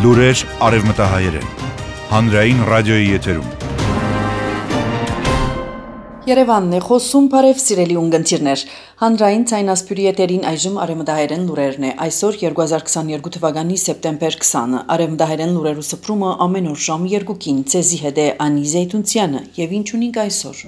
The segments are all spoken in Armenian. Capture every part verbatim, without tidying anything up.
Լուրեր արևմտահայերեն, հանրային ռադիոյի եթերում։ Երևանն է խոսում, բարև սիրելի ունգընտիրներ, հանրային ցայնասպյուրի եթերին այժմ արևմտահայերեն լուրերն է, այսօր երկու հազար քսաներկու թվականի սեպտեմբեր քսանը, արևմտահայերեն լուրերու սփռումը ամեն օր ժամը երկուքին, ցեզի հետ է Անի Զեյթունցյանը, եւ ինչ ունենք այսօր։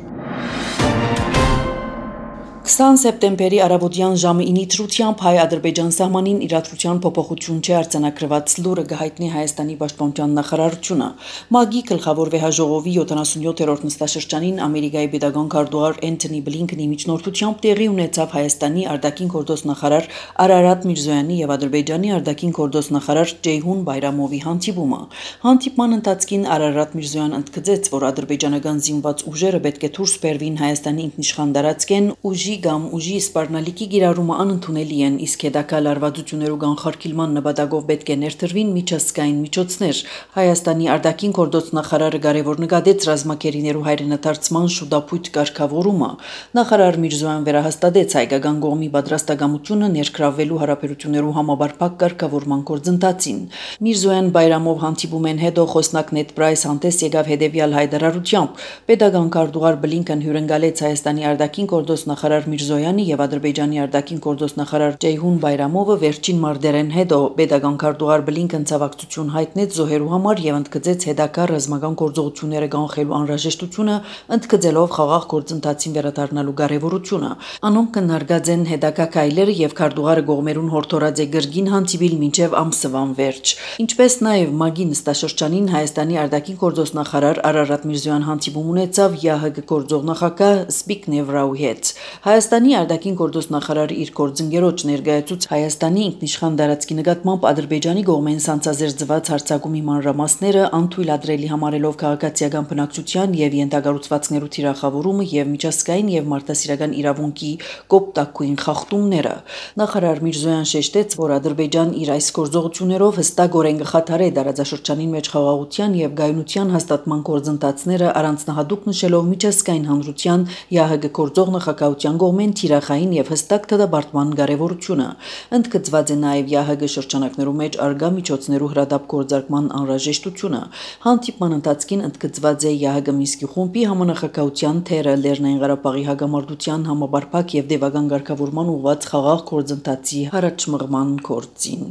քսան սեպտեմբերի առավոտյան ժամը ինի թրությամբ հայ-ադրբեջան սահմանին իրադրության փոփոխություն չի արձանագրված լուրը գահիտնի Հայաստանի պաշտպանության նախարարությունը։ ՄԱԳ-ի գլխավոր վեհաժողովի յոթանասունյոթերորդ նստաշրջանին Ամերիկայի պետական քարտուղար Էնթոնի Բլինքենի միջնորդությամբ տեղի ունեցավ Հայաստանի արտաքին գործոստ նախարար Արարատ Միրզոյանի եւ Ադրբեջանի արտաքին գործոստ նախարար Ջեյհուն Բայրամովի հանդիպումը։ Հանդիպման ընթացքին Արարատ Միրզոյան ընդգծեց, որ ադրբեջանական զինված ուժերը պետք է դուրս բերվին Հայաստանի ինքնիշխան տարածքեն ուժի կամ ուժի սպառնալիքի գիրառումը անընդունելի են, իսկ հետագա լարվածություններու կանխարգելման նպատակով պետք է ներդրվին միջազգային միջոցներ։ Հայաստանի արտաքին գործոստ նախարարը կարևոր նկատեց ռազմակերիներու հայրենադարձման շուտապույտ կարգավորումը։ Նախարար Միրզոյան վերահաստատեց հայկական կողմի պատրաստակամությունը ներգրավվելու հարաբերություններու համապարփակ կարգավորման գործընթացին։ Միրզոյան Բայրամով հանդիպում են հետո խոսնակ Նեդ Պրայս հանդես եկավ հետևյալ հայտարարությամբ. Պետական քարտուղար Բլինքեն հյուրընկալեց Հայաստանի արտաքին գործոստ նախարար Միրզոյանի եւ Ադրբեջանի արտաքին գործոստ նախարար Ջեյհուն Բայրամովը վերջին մարտերեն հետո պետական քարտուղար Բլինքեն ցավակցություն հայտնեց զոհերու համար եւ ընդգծեց հետագա ռազմական գործողությունները կանխելու անհրաժեշտությունը, ընդգծելով խաղաղ գործընթացին վերադառնալու կարեւորությունը։ Անոնք կնարգած են հետագա քայլերը եւ քարտուղարը կողմերուն հորդորած է գրգին հանդիպիլ մինչեւ ամսվան վերջ։ Ինչպես նաեւ ՄԱԳ-ի նստաշրջանին Հայաստանի արտաքին գործոստ նախարար Արարատ Միրզոյան հանդիպում ունեցավ ԵԱՀԿ գործող նախագահ Զբիգնև Ռաուի հետ։ Հայաստանի արտաքին գործոստ նախարարը իր գործընկերոջ ներկայացուց Հայաստանի ինքնիշխան տարածքի նկատմամբ Ադրբեջանի կողմեն սանձազերծված հարձակումի մանրամասները անթույլատրելի համարելով քաղաքացիական բնակչության եւ ենթակառուցվածքներու թիրախավորումը եւ միջազգային եւ մարդասիրական իրավունքի կոպտակույն խախտումները։ Նախարար Միրզոյան շեշտեց, որ Ադրբեջան իր այս գործողություններով հստակորեն կխաթարե տարածաշրջանին մեջ խաղաղության եւ գայունության հաստատման գործընթացները, առանձնահատուկ նշելով միջազգային հանրության ԵԱՀԿ գործող նախագահության կողմեն թիրախային եւ հստակ դատապարտման կարեւորությունը։ Ընդգծված է նաեւ ԵԱՀԿ շրջանակներու մեջ արգա միջոցներու հրադապ գործարկման անհրաժեշտությունը։ Հանդիպման ընթացքին ընդգծված է ԵԱՀԿ Մինսկի խումբի համանախագահության թերը Լեռնային Ղարաբաղի հակամարտության համապարփակ եւ դեպական ղեկավարման ուղղված խաղաղ գործընթացի առաջմղման գործին։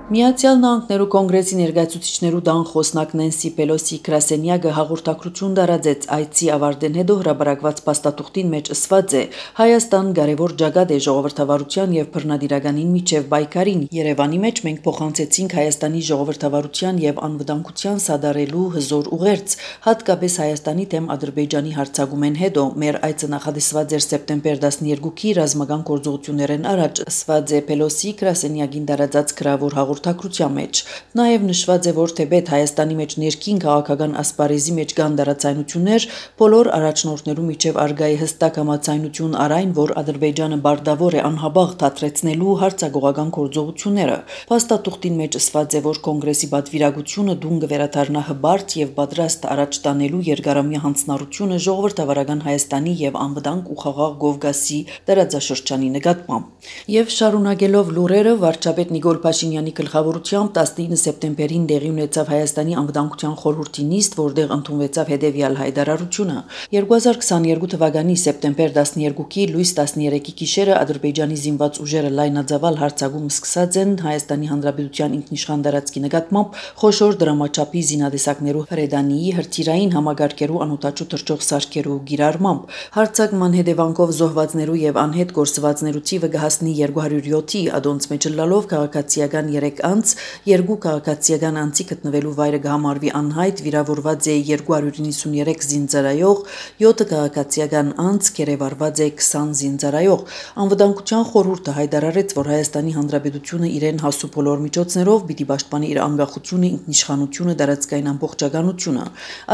Միացյալ Նահանգներու կոնգրեսի ներկայացուցիչներու դան խոսնակ Նենսի Պելոսի գրասենյակը հաղորդակցություն տարածեց այցի ավարտեն հետո հրապարակված փաստաթուղթին մեջ ասված է. Հայաստան կարևոր ջագատ է ժողովրդավարության եւ բռնադիրականին միջև պայքարին։ Երևանի մեջ մենք փոխանցեցինք Հայաստանի ժողովրդավարության եւ անվտանգության սադարելու հզոր ուղերձ, հատկապես Հայաստանի դեմ Ադրբեջանի հարձակումեն հետո մեր այցը նախատեսված էր սեպտեմբեր տասներկուի ռազմական գործողություններեն առաջ, ասված է Պելոսի գրասենյակին տարածած գրավոր հաղորդակցության մեջ։ Նաև նշված է, որ թեպետ Հայաստանի մեջ ներքին քաղաքական ասպարեզի մեջ կան տարածայնություններ, բոլոր առաջնորդներու միջև արգա է հստակ համաձայնություն առայն, որ Ադրբեջանը բարտավոր է անհաբաղ դադրեցնելու հարձակողական գործողությունները։ Փաստաթուղթին մեջ ասված է, որ կոնգրեսի պատվիրակությունը դուն կվերադառնա հբարտ եւ պատրաստ առաջ տանելու երկարամյա հանձնառությունը ժողովրդավարական Հայաստանի եւ անվտանգ ու խաղաղ Կովկասի տարածաշրջանի նկատմամբ։ Եվ շարունակելով լուրերը, վարչապետ Նիկոլ Փաշինյանի գլխավորությամբ տասնինը սեպտեմբերին տեղի ունեցավ Հայաստանի անվտանգության խորհրդի նիստ, որտեղ ընդունվեցավ հետևյալ հայտարարությունը. երկու հազար քսաներկու թվականի սեպտեմբեր տասներկուի լույս տասներեքի գիշերը Ադրբեջանի զինված ուժերը լայնածավալ հարձակում սկսած են Հայաստանի Հանրապետության ինքնիշխան տարածքի նկատմամբ խոշոր դրամաչափի զինատեսակներու հրետանիի հրթիռային համակարգերու անօդաչու թռչող սարքերու գիրառմամբ հարձակման հետևանքով զոհվածներու եւ անհետ գործվածներու թիվը կհասնի երկու հարյուր յոթի, ադոնց մեջ լալով քաղաքացիական երեք անց, երկու քաղաքացիական անձի գտնվելու վայրը կհամարվի անհայտ, վիրավորված է երկու հարյուր նվսունյոթ զինծառայող, յոթ քաղաքացիական անձ, կերևարված է քսան զինծառայող։ Անվտանգության խորհուրդը հայտարարեց, որ Հայաստանի Հանրապետությունը իրեն հասու բոլոր միջոցներով պիտի պաշտպանի իր անկախությունը, ինքնիշխանությունը, տարածքային ամբողջականությունը։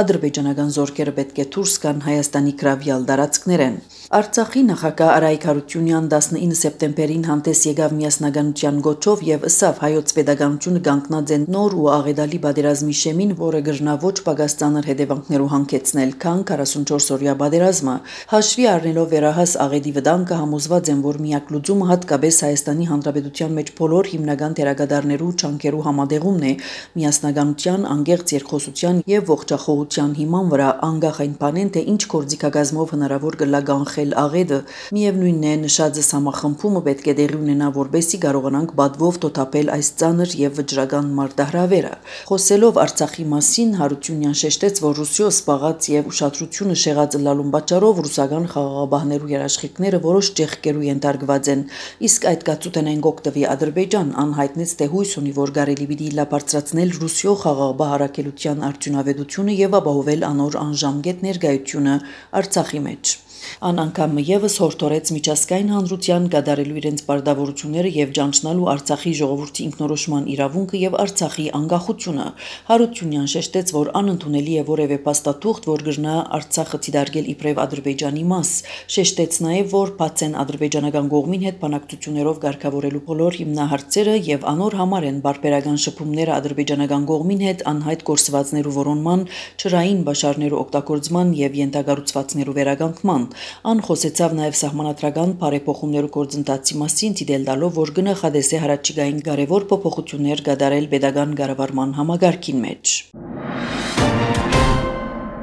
Ադրբեջանական զորքերը պետք է դուրս գան Հայաստանի գրավյալ տարածքներեն։ Արցախի նախագահ Արայք Հարությունյան տասնինը սեպտեմբերին հանդես եկավ միասնականության գոչով եւ ըսավ հայոց պետականությունը կանգնած է նոր ու աղետալի պատերազմի շեմին, որը գրնա ոչ պակաս ծանր հետևանքներով հանգեցնել, քան քառասունչորս-օրյա պատերազմը։ Հաշվի առնելով վերահաս աղետի վտանգը, համոզված եմ, որ միակ լուծումը հատկապես Հայաստանի Հանրապետության մեջ բոլոր հիմնական դերակատարներու չանքերու համատեղումն է, միասնականության, անկեղծ երկխոսության եւ ողջախոհության հիման վրա, անկախ այն բանեն, թե ինչ գործիքագազմով հնարավոր կլա կանխել աղետը։ Միևնույնն է, նշածս համախմբումը պետք է տեղի ունենա, որպեսզի կարողանանք բադվով տոթափել այս ծանր եւ վճռական մարտահրավերը։ Խոսելով Արցախի մասին, Հարությունյան շեշտեց, որ Ռուսիո սպաղած եւ ուշադրությունը շեղած լալուն պատճառով ռուսական խաղաղաբահներու երաշխիքները որոշ ճեղքերու ենթարկված են, իսկ այդ կացութենեն գոկտվի Ադրբեջան անհայտնեց, թե հույս ունի, որ կարելի պիտի լապարծրացնել Ռուսիո խաղաղաբահ առաքելության արդյունավետությունը եւ ապահովել անոր անժամկետ ներկայությունը Արցախի մեջ։ Ան անգամ եւս հորդորեց միջազգային հանրության կատարելու իրենց պարտավորությունները եւ ճանչնալու Արցախի ժողովրդի ինքնորոշման իրավունքը եւ Արցախի անկախությունը։ Հարությունյան շեշտեց, որ անընդունելի է որևէ փաստաթուղթ, որ գրնա Արցախը դիտարկել իբրև Ադրբեջանի մաս։ Շեշտեց նաեւ, որ բաց են ադրբեջանական կողմին հետ բանակցություններով ղեկավարելու բոլոր հիմնահարցերը եւ անոր համար են բարբերական շփումները ադրբեջանական կողմին հետ անհայտ գործվածներու որոնման, ճրային բաշարներու օգտագործման եւ յենթագառուցվածքներու վերականգնման։ Ան խոսեցավ նաև սահմանադրական բարեփոխումներու գործընթացի մասին, դիտել տալով, որ գնահատես է հարաճիգային կարևոր փոփոխություններ կատարել պետական կառավարման համագարքին մեջ։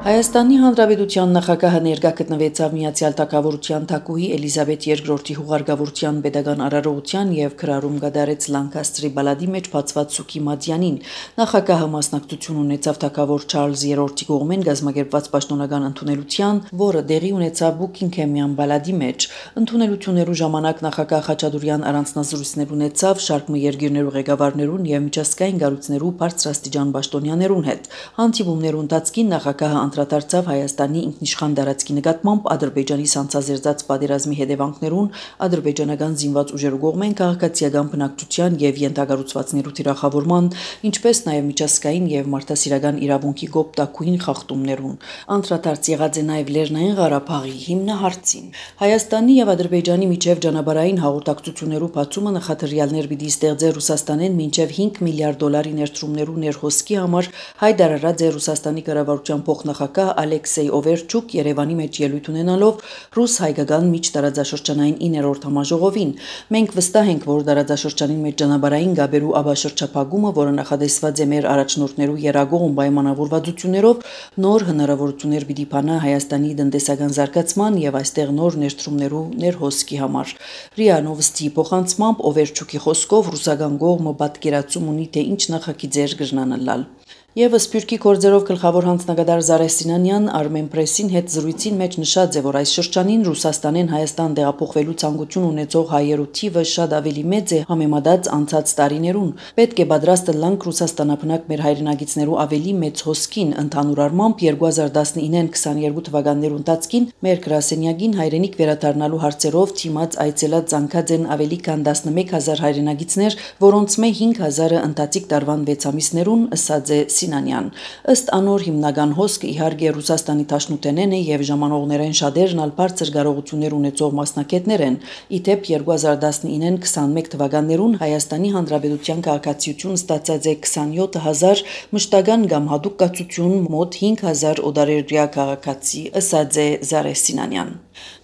Հայաստանի Հանրապետության նախագահը ներկա գտնվեցավ Միացյալ Թագավորության թագուհի Էլիզաբեթ երկրորդի հուղարկավորության պետական արարողության եւ քրարում կատարեց Լանկաստրի բալադի մեջ բացված սուքի մատյանին։ Նախագահը մասնակցություն ունեցավ թագավոր Չարլզ երրորդի կողմեն կազմակերպված պաշտոնական ընդունելության, որը տեղի ունեցավ Բուքինգհեմյան բալադի մեջ։ Ընդունելություններու ժամանակ նախագահ Խաչատուրյան առանձնազրույցներ ունեցավ շարք երկիրներու ղեկավարներուն եւ միջազգային կառույցներու բարձրաստիճան պաշտոնյաներուն հետ։ Հանդիպումներու ընթացքին նախագահը անդրադարձավ Հայաստանի ինքնիշխան տարածքի նկատմամբ Ադրբեջանի սանձազերծած պատերազմի հետևանքներուն, ադրբեջանական զինված ուժերու կողմեն քաղաքացիական բնակչության եւ յենթագառուցվածքներու թիրախավորման, ինչպես նաեւ միջազգային եւ մարդասիրական իրավունքի գոպտակույն խախտումներուն։ Անդրադարձ եղած է նաեւ Լեռնային Ղարաբաղի հիմնահարցին։ Հայաստանի եւ Ադրբեջանի միջև ճանապարհային հաղորդակցություններու բացումը նախադրյալներ պիտի ստեղծե Ռուսաստանեն մինչեւ հինգ միլիարդ դոլարի ներդրումներու ներհոսքի համար, հայտարարած է Ռուսաստանի կառավարության փոխնախագահ Ալեքսեյ Օվերչուկ Երևանի մեջ ելույթ ունենալով ռուս-հայկական միջտարածաշրջանային իններորդ համաժողովին։ Մենք վստահ ենք, որ տարածաշրջանին մեջ ճանապարհային գաբերու աբաշրջափակումը, որը նախադեсված է մեր առաջնորդներու երագողում պայմանավորվածություններով, նոր հնարավորություններ պիտի բանա Հայաստանի տնտեսական զարգացման եւ այստեղ նոր ներդրումներու ներհոսքի համար։ ՌԻԱ Նովստի փոխանցմամբ Օվերչուկի խոսքով ռուսական կողմը պատկերացում ունի, թե ինչ նախագիծեր կրնանալալ։ Եվս Սփյուռքի գործերով գլխավոր հանձնագետար Զարե Սինանյան Armen Press-ին հետ զրույցին մեջ նշած է, որ այս շրջանին Ռուսաստանեն Հայաստան տեղափոխվելու ցանկություն ունեցող հայերու թիվը շատ ավելի մեծ է համեմատած անցած տարիներուն։ Պետք է պատրաստ լանք Ռուսաստանապնակ մեր հայրենագիցներու ավելի մեծ հոսքին, ընդհանուր առմամբ երկու հազար տասնինը քսաներկու թվականներու ընթացքին մեր գրասենյակին հայրենիք վերադառնալու հարցերով թիմած այցելած ցանկած են ավելի քան տասնմեկ հազար հայրենագիցներ, որոնց մե հինգ հազարը ընթացիկ տարվան վեց ամիսներուն, ըսած է Սինանյան։ Ըստ անոր հիմնական հոսքը իհարկե Ռուսաստանի Դաշնութենեն է եւ ժամանողներեն շատերն ալ բարձր կարողություններ ունեցող մասնակիցներ են։ Իդեպ երկու հազար տասնինը քսանմեկ թվականներուն Հայաստանի Հանրապետության քաղաքացիություն ստացած է քսանյոթ հազար, մշտական կամ հատուկ կացություն մոտ հինգ հազար օդարերյա քաղաքացի, ըսած է Զարե Սինանյան։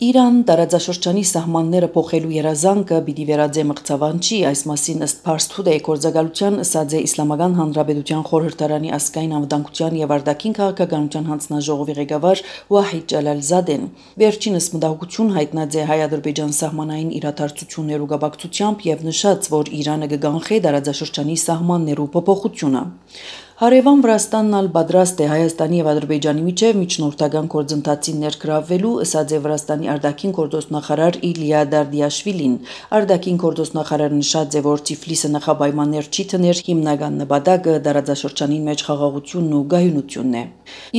Իրան տարածաշրջանի սահմանները փոխելու երազանքը պիտի վերածե մղձավանջի, այս մասին ըստ Փարս Թուդեյ գործակալության ըսած է Իսլամական Հանրապետության խորհրդարանի ազգային անվտանգության եւ արտաքին քաղաքականության հանձնաժողովի ղեկավար Վահիդ Ջալալզադեն։ Վերջինս մտահոգություն հայտնած է հայ-ադրբեջան սահմանային իրադարձություններու կապակցությամբ եւ նշած, որ Իրանը կգանխի տարածաշրջանի սահմաններու փոփոխությունը։ Հարևան Վրաստանն ալ պատրաստ է Հայաստանի եւ Ադրբեջանի միջև միջնորդական գործընթացին ներգրավվելու, ըսած է Վրաստանի արտաքին գործոստնախարար Իլիա Դարդիաշվիլին։ Արտաքին գործոստնախարարը նշած է, որ Թիֆլիսը նախապայմաններ չի թներ, հիմնական նպատակը տարածաշրջանին մեջ խաղաղությունն ու գայունությունն է։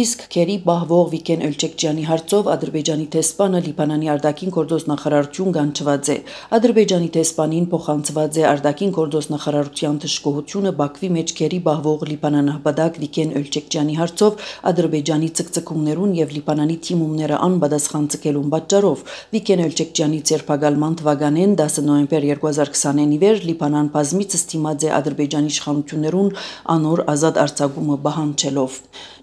Իսկ Քերի Բահվող Վիկեն Էլչեկջյանի հարցով Ադրբեջանի տեսփանը Լիբանանի արտաքին գործոստնախարարություն կանչված է։ Ադրբեջանի տեսփանին փոխանցված է արտաքին գործոստնախարարության դժգոհությունը Բաքվի մեջ Քերի Բահվող Լիբանան նահբադակ Վիկեն Օլչեկջյանի հարցով Ադրբեջանի ցկցկումներուն եւ Լիբանանի թիմումները անբադասխան ցկելուն պատճառով Վիկեն Օլչեկջյանի ձերբակալման թվականին դասը նոյեմբեր երկու հազար քսանինի վեր Լիբանան բազմիցս դիմաց է Ադրբեջանի իշխանություններուն անոր ազատ արձակումը բանջելով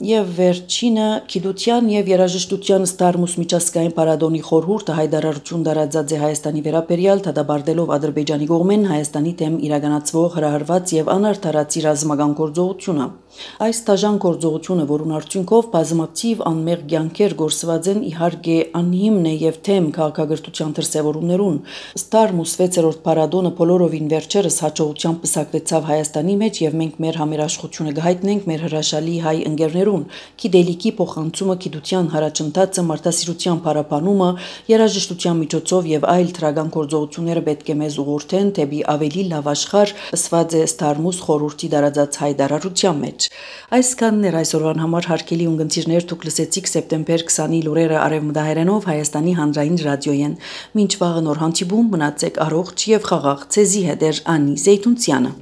եւ վերջինը գիտության եւ երաժշտության ստարմուս միջազգային պարադոնի խորհուրդը հայտարարություն դարածած է Հայաստանի վերաբերյալ դադարելով Ադրբեջանի կողմեն Հայաստանի դեմ իրականացվող հրահրված եւ անարդարացի ռազմական գործողությունը այս տաժան գործողությունը որուն արդյունքով բազմաթիվ անմեղ կյանքեր գործված են իհարկե անհիմն է եւ թեմ քաղաքագործության դրսեւորումներուն ստարմուս վեցերորդ պարադոնը բոլորովին վերջերս հաջողությամբ պսակվեցավ Հայաստանի մեջ եւ մենք մեր համերաշխությունը կհայտնենք մեր հրաշալի հայ ընկերներուն գիտելիքի փոխանցումը գիտության հարաճընթացը մարդասիրության պարապանումը երաժշտության միջոցով եւ այլ թրագան գործողությունները պետք է մեզ ուղղորդեն դեպի ավելի լավ աշխարհ ըսված է ստարմուս խորհրդի դարածած հայտարարության մեջ այսքանն էր այսօրվան համար հարգելի ունգընտիրներ դուք լսեցիք սեպտեմբեր քսանի լուրերը արևմտահայերենով Հայաստանի հանրային ռադիոյեն մինչ վաղը նոր հանդիպում մնացեք առողջ եւ խաղաղ ցեզի հետ էր Անի Զեյթունցյանը